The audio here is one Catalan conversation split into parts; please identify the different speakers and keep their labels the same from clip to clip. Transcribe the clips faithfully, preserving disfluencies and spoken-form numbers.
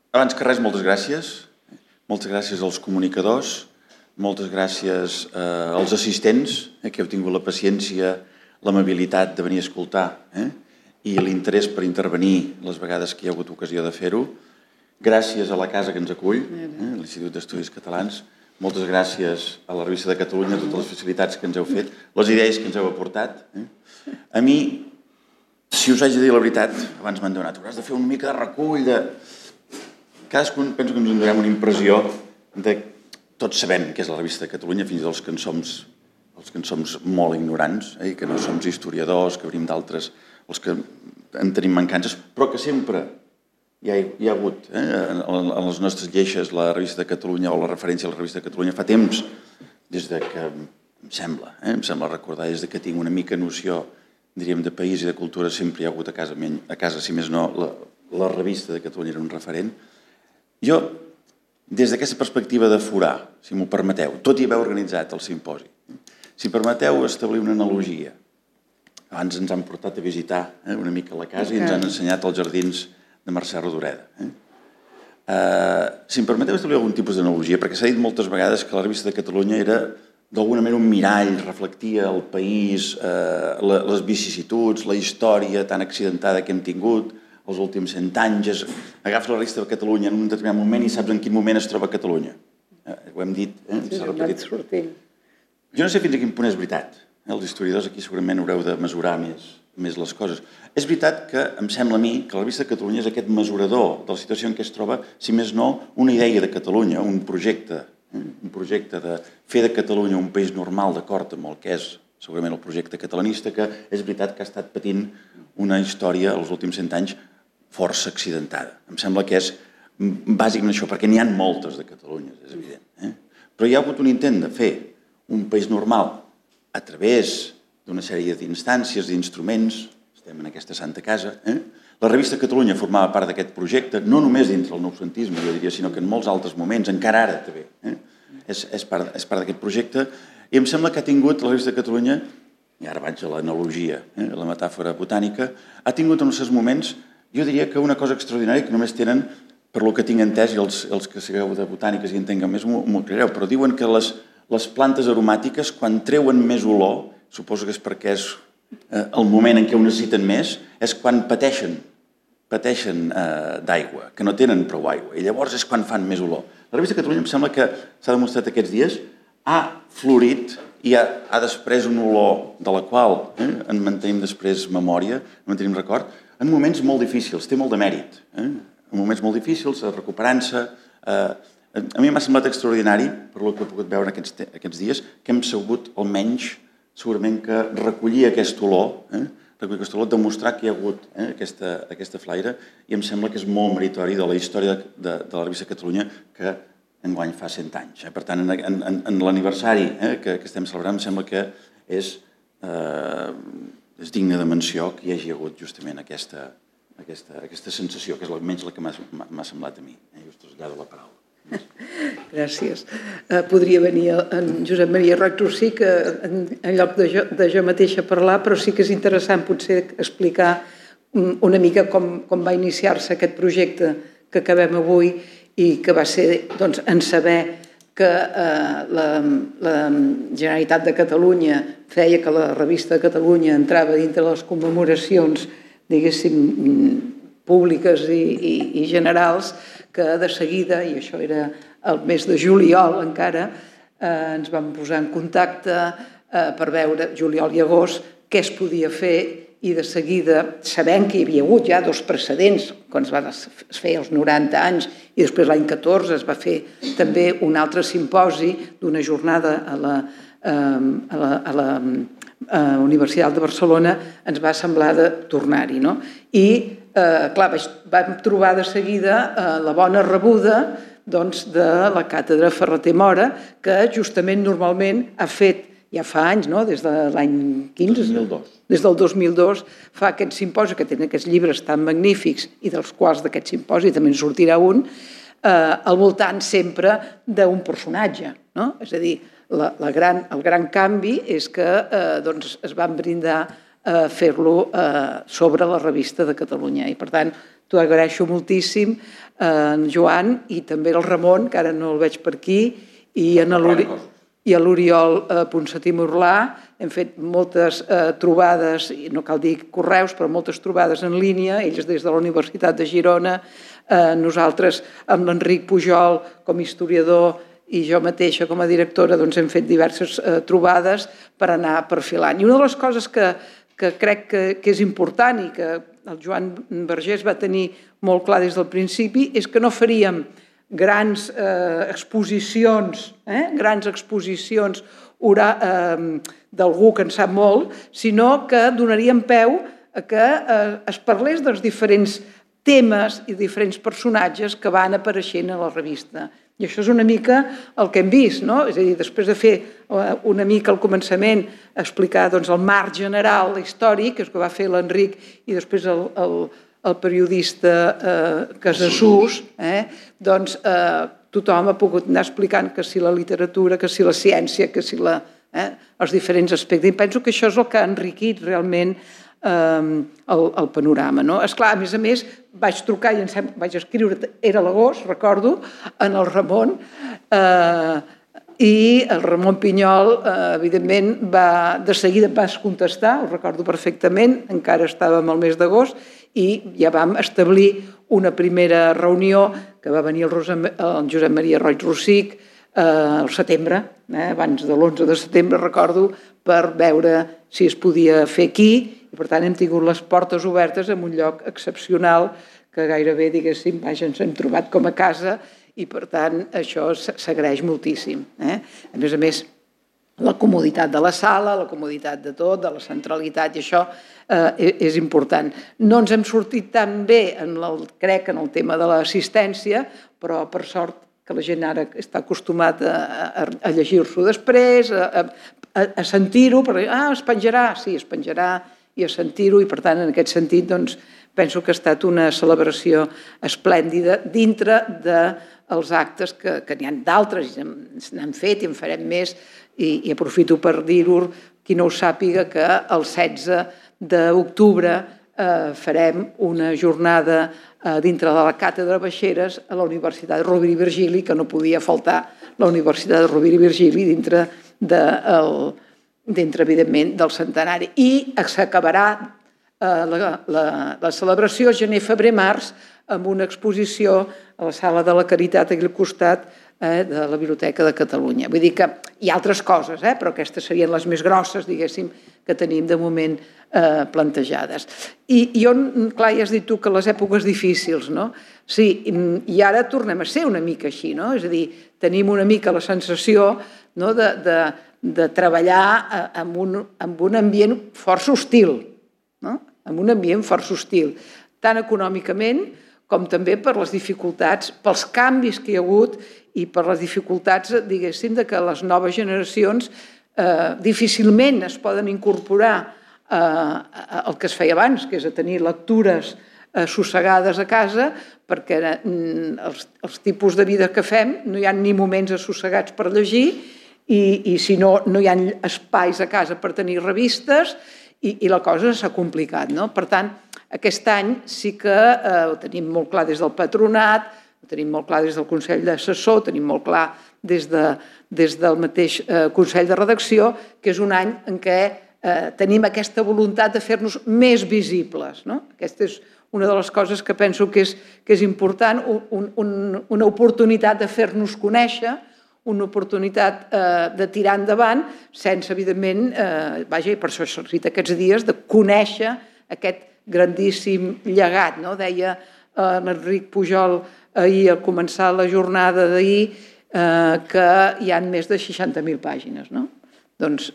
Speaker 1: Abans que res, moltes gràcies. Moltes gràcies als comunicadors, moltes gràcies eh, als assistents, eh, que heu tingut la paciència, l'amabilitat de venir a escoltar eh, i l'interès per intervenir les vegades que hi ha hagut ocasió de fer-ho. Gràcies a la casa que ens acull, eh, l'Institut d'Estudis Catalans. Moltes gràcies a la Revista de Catalunya, totes les facilitats que ens heu fet, les idees que ens heu aportat. Eh. A mi, si us haig de dir la veritat, abans m'han donat, hauràs de fer una mica de recull de... Cadascun penso que ens en donem una impressió de... Tots sabem què és la Revista de Catalunya, fins i tot els que en som, els que en som molt ignorants, eh, que no som historiadors, que venim d'altres, els que en tenim mancances, però que sempre hi ha, hi ha hagut eh, en les nostres lleixes la Revista de Catalunya o la referència a la Revista de Catalunya fa temps, des de que em sembla, eh, em sembla recordar, des de que tinc una mica noció, diríem, de país i de cultura, sempre hi ha hagut a casa, a casa si més no, la, la Revista de Catalunya era un referent. Jo, des d'aquesta perspectiva de forar, si m'ho permeteu, tot i haver organitzat el simposi, si permeteu establir una analogia. Abans ens han portat a visitar eh, una mica la casa i ens han ensenyat els jardins de Mercè Rodoreda. Eh? Uh, si em permeteu establir algun tipus d'analogia, perquè s'ha dit moltes vegades que la Revista de Catalunya era d'alguna manera un mirall, reflectia el país, uh, la, les vicissituds, la història tan accidentada que hem tingut els últims cent anys. Agafes la Revista de Catalunya en un determinat moment i saps en quin moment es troba Catalunya. Uh, ho hem dit, eh? s'ha repetit. Jo no sé fins a quin punt és veritat. Els historiadors aquí segurament haureu de mesurar més, més les coses. És veritat que em sembla a mi que la Revista de Catalunya és aquest mesurador de la situació en què es troba, si més no, una idea de Catalunya, un projecte, eh? un projecte de fer de Catalunya un país normal d'acord amb el que és segurament el projecte catalanista, que és veritat que ha estat patint una història els últims cent anys força accidentada. Em sembla que és bàsicament això, perquè n'hi ha moltes de Catalunya, és evident. Eh? Però hi ha hagut un intent de fer un país normal a través d'una sèrie d'instàncies, d'instruments, estem en aquesta santa casa. Eh? La Revista de Catalunya formava part d'aquest projecte, no només dintre el noucentisme, jo diria, sinó que en molts altres moments, encara ara també, eh? és, és part, és part d'aquest projecte, i em sembla que ha tingut la Revista de Catalunya, i ara vaig a l'analogia, eh? a la metàfora botànica, ha tingut en els seus moments, jo diria que una cosa extraordinària que només tenen, per lo que tinc entès, i els, els que sigueu de botàniques i entenguen més m'ho creureu, però diuen que les Les plantes aromàtiques, quan treuen més olor, suposo que és perquè és el moment en què ho necessiten més, és quan pateixen, pateixen d'aigua, que no tenen prou aigua, i llavors és quan fan més olor. La Revista de Catalunya em sembla que s'ha demostrat aquests dies, ha florit i ha, ha després un olor de la qual eh, en mantenim després memòria, en mantenim record, en moments molt difícils, té molt de mèrit, eh? en moments molt difícils, recuperant-se. Eh, A mi m'ha semblat extraordinari, per el que he pogut veure aquests, aquests dies, que hem sabut almenys, segurament, que recollir aquest olor, eh? recollir aquest olor, demostrar que hi ha hagut eh? aquesta, aquesta flaire, i em sembla que és molt meritori de la història de, de, de la Revista de Catalunya, que enguany fa cent anys. Eh? Per tant, en, en, en l'aniversari eh? que, que estem celebrant, em sembla que és, eh, és digne de menció que hi hagi hagut justament aquesta, aquesta, aquesta sensació, que és almenys la que m'ha semblat a mi. Eh? I us trasllado la paraula.
Speaker 2: Gràcies. Podria venir en Josep Maria Rectorsí, que en lloc de jo, de jo mateixa parlar, però sí que és interessant potser explicar una mica com, com va iniciar-se aquest projecte que acabem avui i que va ser doncs, en saber que eh, la, la Generalitat de Catalunya feia que la Revista de Catalunya entrava dintre les commemoracions, diguéssim, públiques i, i, i generals, que de seguida, i això era el mes de juliol encara, eh, ens vam posar en contacte eh, per veure, juliol i agost, què es podia fer, i de seguida, sabent que hi havia hagut ja dos precedents, quan es va fer als noranta anys, i després l'any catorze es va fer també un altre simposi d'una jornada a la, eh, a la, a la eh, Universitat de Barcelona, ens va semblar de tornar-hi, no? I Eh, clar, vam trobar de seguida eh, la bona rebuda doncs, de la càtedra Ferrater Mora, que justament normalment ha fet, ja fa anys, no? Des de l'any quinze,
Speaker 1: dos mil dos.
Speaker 2: Des del dos mil dos, fa aquest simposi, que tenen aquests llibres tan magnífics, i dels quals d'aquest simposi també en sortirà un, eh, al voltant sempre d'un personatge, no? És a dir, la, la gran, el gran canvi és que eh, doncs, es van brindar a fer-lo sobre la Revista de Catalunya. I, per tant, t'ho agraeixo moltíssim, en Joan i també el Ramon, que ara no el veig per aquí, i en l'Oriol Ponsatí Morlà. Hem fet moltes trobades, no cal dir correus, però moltes trobades en línia, ells des de la Universitat de Girona, nosaltres amb l'Enric Pujol com a historiador i jo mateixa com a directora hem fet diverses trobades per anar perfilant. I una de les coses que crec que és important i que el Joan Vergés va tenir molt clar des del principi és que no faríem grans exposicions, grans exposicions d'algú que en sap molt, sinó que donaríem peu a que es parlés dels diferents temes i diferents personatges que van apareixent a la revista. I això és una mica el que hem vist, no? És a dir, després de fer una mica al començament explicar el marc general, històric, que va fer l'Enric i després el periodista Casassús, doncs tothom ha pogut anar explicant que si la literatura, que si la ciència, que si els diferents aspectes. I penso que això és el que ha enriquit realment el panorama. Esclar, a més a més, vaig trucar i vaig escriure, era l'agost, recordo, en el Ramon, i el Ramon Pinyol, evidentment, de seguida vas contestar, ho recordo perfectament, encara estàvem al mes d'agost, i ja vam establir una primera reunió que va venir el Josep Maria Roig Rosic al setembre, abans de l'onze de setembre, recordo, per veure si es podia fer aquí. I, per tant, hem tingut les portes obertes en un lloc excepcional que gairebé, diguéssim, ens hem trobat com a casa i, per tant, això s'agraeix moltíssim. A més a més, la comoditat de la sala, la comoditat de tot, de la centralitat, i això és important. No ens hem sortit tan bé, crec, en el tema de l'assistència, però, per sort, que la gent ara està acostumat a llegir-s'ho després, a sentir-ho, ah, es penjarà, sí, es penjarà, i a sentir-ho, i per tant, en aquest sentit, doncs, penso que ha estat una celebració esplèndida dintre dels actes que n'hi ha d'altres, n'han fet i en farem més, i aprofito per dir-ho, qui no ho sàpiga, que el setze d'octubre farem una jornada dintre de la càtedra Baixeres a la Universitat Rovira i Virgili, que no podia faltar la Universitat Rovira i Virgili dintre del dintre, evidentment, del centenari. I s'acabarà la celebració gener, febrer, març amb una exposició a la Sala de la Caritat aquí al costat de la Biblioteca de Catalunya. Vull dir que hi ha altres coses, però aquestes serien les més grosses, diguéssim, que tenim de moment plantejades. I jo, clar, ja has dit tu que les èpoques difícils, no? Sí, i ara tornem a ser una mica així, no? És a dir, tenim una mica la sensació de de treballar en un ambient força hostil, en un ambient força hostil, tant econòmicament com també per les dificultats, pels canvis que hi ha hagut i per les dificultats, diguéssim, que les noves generacions difícilment es poden incorporar al que es feia abans, que és a tenir lectures assossegades a casa, perquè els tipus de vida que fem no hi ha ni moments assossegats per llegir i si no, no hi ha espais a casa per tenir revistes i la cosa s'ha complicat. Per tant, aquest any sí que ho tenim molt clar des del patronat, ho tenim molt clar des del Consell d'Assessor, ho tenim molt clar des del mateix Consell de Redacció, que és un any en què tenim aquesta voluntat de fer-nos més visibles. Aquesta és una de les coses que penso que és important, una oportunitat de fer-nos conèixer, una oportunitat de tirar endavant sense, evidentment, vaja, i per això s'ha dit aquests dies, de conèixer aquest grandíssim llegat. Deia l'Enric Pujol ahir, al començar la jornada d'ahir, que hi ha més de seixanta mil pàgines. Doncs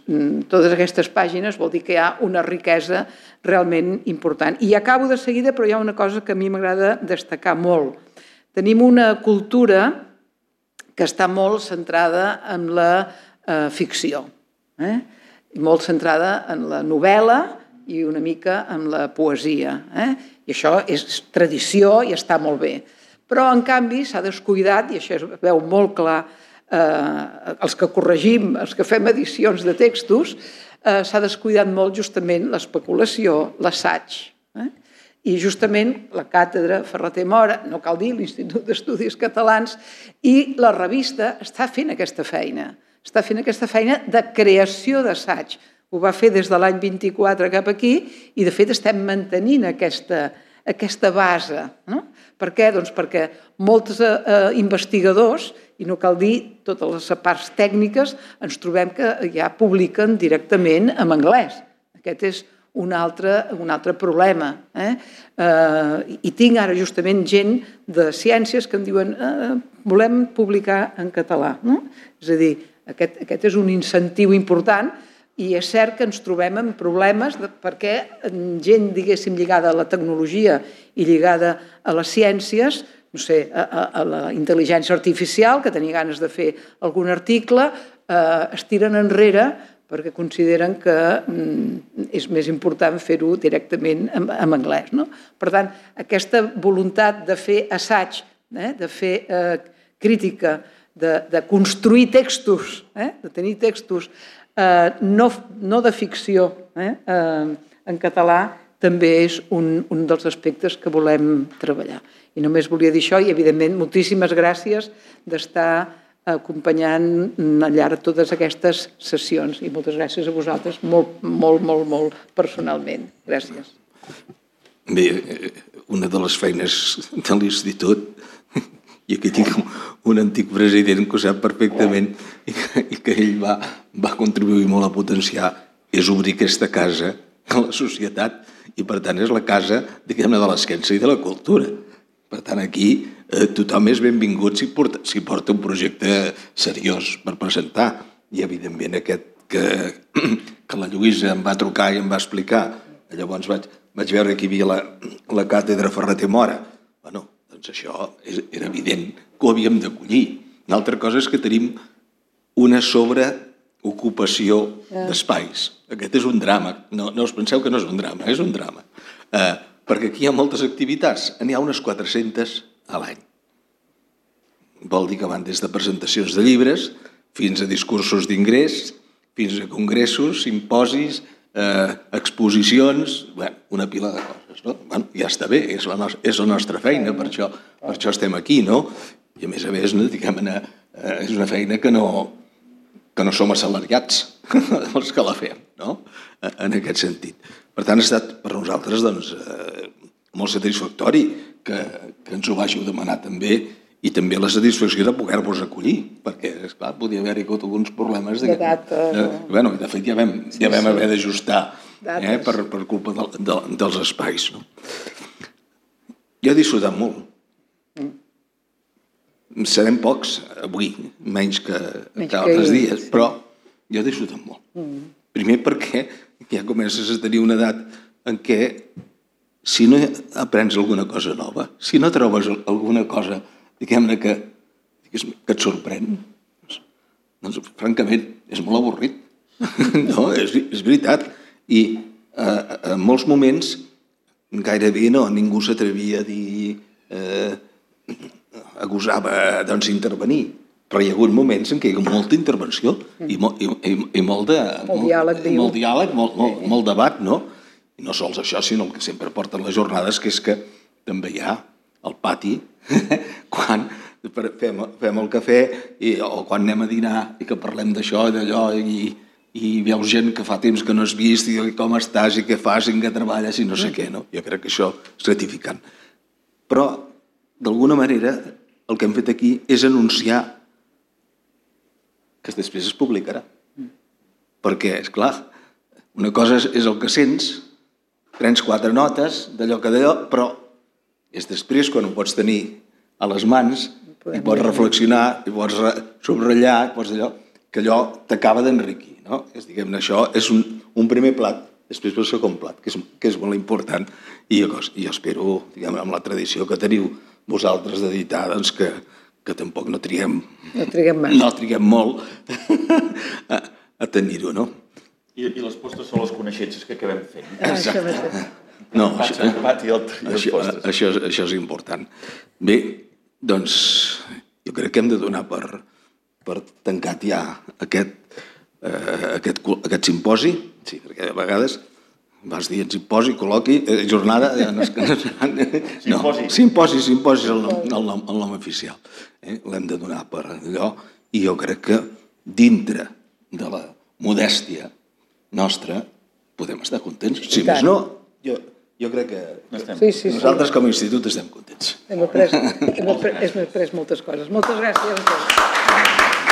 Speaker 2: totes aquestes pàgines vol dir que hi ha una riquesa realment important. I acabo de seguida, però hi ha una cosa que a mi m'agrada destacar molt. Tenim una cultura que està molt centrada en la ficció, molt centrada en la novel·la i una mica en la poesia. I això és tradició i està molt bé. Però, en canvi, s'ha descuidat, i això es veu molt clar, els que corregim, els que fem edicions de textos, s'ha descuidat molt justament l'especulació, l'assaig. I justament la càtedra Ferrater Mora, no cal dir, l'Institut d'Estudis Catalans, i la revista està fent aquesta feina. Està fent aquesta feina de creació d'assaig. Ho va fer des de l'any vint-i-quatre cap aquí i, de fet, estem mantenint aquesta, aquesta base. No? Per què? Doncs perquè molts eh, investigadors, i no cal dir totes les parts tècniques, ens trobem que ja publiquen directament en anglès. Aquest és un altre, un altre problema. Eh? Eh, I tinc ara justament gent de ciències que em diuen eh, volem publicar en català. No? És a dir, aquest, aquest és un incentiu important i és cert que ens trobem amb problemes de, perquè gent, diguéssim, lligada a la tecnologia i lligada a les ciències, no sé, a, a, a la intel·ligència artificial, que tenia ganes de fer algun article, eh, es tiren enrere perquè consideren que mm, és més important fer-ho directament en, en anglès. No? Per tant, aquesta voluntat de fer assaig, eh, de fer eh, crítica, de, de construir textos, eh, de tenir textos eh, no, no de ficció eh, eh, en català, també és un, un dels aspectes que volem treballar. I només volia dir això i, evidentment, moltíssimes gràcies d'estar acompanyant al llarg de totes aquestes sessions i moltes gràcies a vosaltres, molt, molt, molt, molt personalment. Gràcies.
Speaker 3: Bé, una de les feines de l'Institut, i aquí tinc un antic president que ho sap perfectament i que, i que ell va, va contribuir molt a potenciar, és obrir aquesta casa a la societat i, per tant, és la casa, diguem-ne, de la ciència i de la cultura. Per tant, aquí eh, tothom és benvingut si porta, si porta un projecte seriós per presentar. I, evidentment, aquest que, que la Lluïsa em va trucar i em va explicar. Llavors vaig, vaig veure que hi havia la, la càtedra Ferrater Mora. Bueno, doncs això és, era evident que ho havíem d'acollir. Una altra cosa és que tenim una sobreocupació d'espais. Aquest és un drama. No, no us penseu que no és un drama, és un drama. Eh, perquè aquí hi ha moltes activitats, n'hi ha unes quatre-centes a l'any. Vol dir que van des de presentacions de llibres fins a discursos d'ingrés, fins a congressos, simposis, eh, exposicions, bueno, una pila de coses. No? Bueno, ja està bé, és la, nostra, és la nostra feina, per això, per això estem aquí, no? I a més a més, no, diguem-ne, eh, és una feina que no, que no som assalariats els que la fem, no? En aquest sentit. Per tant, ha estat per nosaltres doncs, eh, molt satisfactori que, que ens ho vàgiu demanar també i també la satisfacció de poder-vos acollir, perquè, esclar, podia haver-hi alguns problemes.
Speaker 2: De data.
Speaker 3: Eh, bueno, de fet, ja vam, ja vam haver d'ajustar eh, per, per culpa de, de, dels espais. No? Jo he disfrutat molt. Mm. Serem pocs avui, menys que, menys que altres que dies, sí. Però jo he disfrutat molt. Mm. Primer perquè ja comences a tenir una edat en què si no aprens alguna cosa nova, si no trobes alguna cosa, diguem-ne, que, que et sorprèn, doncs, francament, és molt avorrit. No, és, és veritat. I eh, en molts moments gairebé no, ningú s'atrevia a dir, eh, a gosar doncs, intervenir. Però hi ha hagut moments en què hi ha molta intervenció i, mo, i, i, i molt de...
Speaker 2: Molt diàleg, diu.
Speaker 3: Molt diàleg, molt, molt, molt debat, no? I no sols això, sinó el que sempre porten les jornades, que és que també hi ha al pati, quan fem, fem el cafè i, o quan anem a dinar i que parlem d'això i d'allò i, i veus gent que fa temps que no has vist i com estàs i què fas i en què treballes i no sé què, no? Jo crec que això és gratificant. Però, d'alguna manera, el que hem fet aquí és anunciar que després es publicarà. Perquè, esclar, una cosa és el que sents, prens quatre notes d'allò que d'allò, però és després quan ho pots tenir a les mans i pots reflexionar, i pots subratllar, i pots allò, que allò t'acaba d'enriquir. No? És, diguem-ne, això és un, un primer plat, després pel segon plat, que és, que és molt important. I jo, jo espero, diguem, amb la tradició que teniu vosaltres d'editar, doncs que que tampoc no triguem,
Speaker 2: no triguem,
Speaker 3: no triguem molt a, a tenir-ho, no?
Speaker 1: I, I les postres són les coneixences que acabem fent.
Speaker 3: Exacte. No, això,
Speaker 1: i el, i
Speaker 3: això, això, això és important. Bé, doncs, jo crec que hem de donar per, per tancat ja aquest, eh, aquest, aquest simposi, sí, perquè a vegades vas dir simposi, col·loqui, jornada...
Speaker 1: Simposi.
Speaker 3: Simposi, simposi és el nom, el nom, el nom oficial. L'hem de donar per allò, i jo crec que dintre de la modèstia nostra podem estar contents. Si més no, jo, jo crec que
Speaker 2: sí, sí,
Speaker 3: nosaltres
Speaker 2: sí.
Speaker 3: com a institut estem contents.
Speaker 2: Hem après, hem après, hem après moltes coses. Moltes gràcies a tots.